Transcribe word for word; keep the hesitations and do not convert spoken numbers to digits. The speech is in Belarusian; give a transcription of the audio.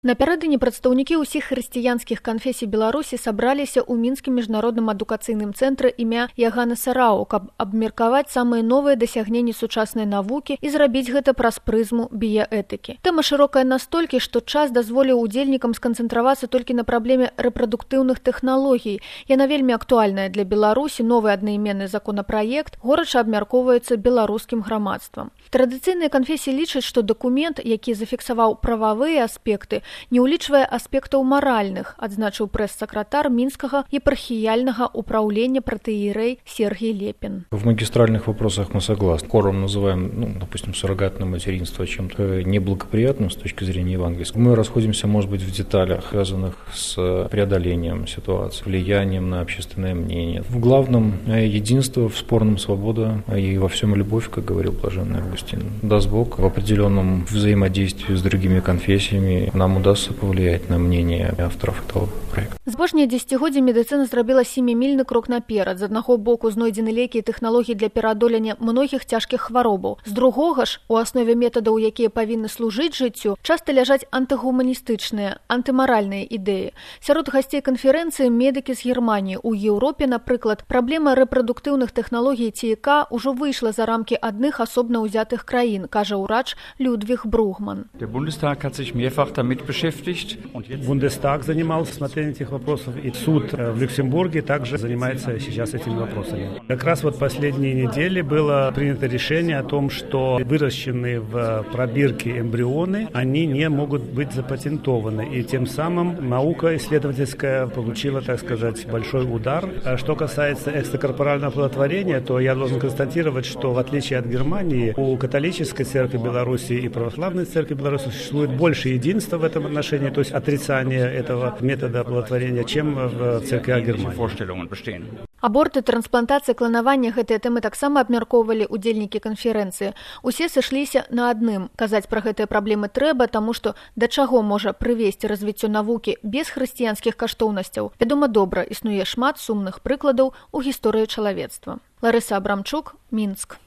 Напярэдадні прадстаўнікі ўсіх хрысціянскіх канфесій Беларусі сабраліся ў мінскім міжнародным адукацыйным цэнтры імя Ягана Сарау, каб абмеркаваць самыя новыя дасягненні сучаснай навукі і зрабіць гэта праз прызму біяэтыкі. Тэма шырокая настолькі, што час дазволіў удзельнікам сканцэнтравацца толькі на праблеме рэпрадуктыўных тэхналогій. Яна вельмі актуальная для Беларусі, новы аднайменны законапраект горача абмяркоўваецца беларускім грамадствам. Традыцыйныя канфесіі лічаць, што дакумент, які зафіксаваў прававыя аспекты, не ўлічвае аспектаў маральных, адзначыў прэс-сакратар Мінскага епархіяльнага управления протоиерей Сергей Лепин. В магистральных вопросах мы согласны. Хором называем, ну, допустим, суррогатное материнство чем-то неблагоприятным с точки зрения евангельской. Мы расходимся, может быть, в деталях, связанных с преодолением ситуации, влиянием на общественное мнение. В главном единство, в спорном свобода и во всем любовь, как говорил блаженный Августин. Даст Бог, в определенном взаимодействии с другими конфессиями нам удастся повлиять на мнение авторов этого проекта. Збожнія дзесяцігоддзі медыцына зрабіла семімільны крок наперад. З аднаго боку знойдзены лекі і тэхналогіі для пераадолення многіх цяжкіх хваробаў. З другога ж, у аснове метадаў, якія павінны служыць жыццю, часта ляжаць антыгуманістычныя, антымаральныя ідэі. Сярод гасцей канферэнцыі медыкі з Германіі. У Еўропе, напрыклад, праблема рэпрадуктыўных тэхналогій ці і ка ўжо выйшла за рамкі адных асобна ўзятых краін, кажа ўрач Людвиг Бругман. Der Bundestag hat sich mehrfach damit beschäftigt. Бундестаг занимался смотрением этих вопросов, и суд в Люксембурге также занимается сейчас этими вопросами. Как раз вот последние недели было принято решение о том, что выращенные в пробирке эмбрионы, они не могут быть запатентованы, и тем самым наука исследовательская получила, так сказать, большой удар. А что касается экстракорпорального оплодотворения, то я должен констатировать, что в отличие от Германии, у католической церкви Беларуси и православной церкви Беларуси существует больше единства в этом отношении, то есть отрицание этого метода оплодотворения, чем в церквях Германии. Аборты, трансплантацыя, кланаванне — гэтыя тэмы таксама абмяркоўвалі удзельнікі канферэнцыі. Усе сышліся на адным. Казаць пра гэтыя праблемы трэба, таму што да чаго можа прывесці развіццё навукі без хрысціянскіх каштоўнасцяў, вядома добра, існуе шмат сумных прыкладаў у гісторыі чалавецтва. Ларыса Абрамчук, Мінск.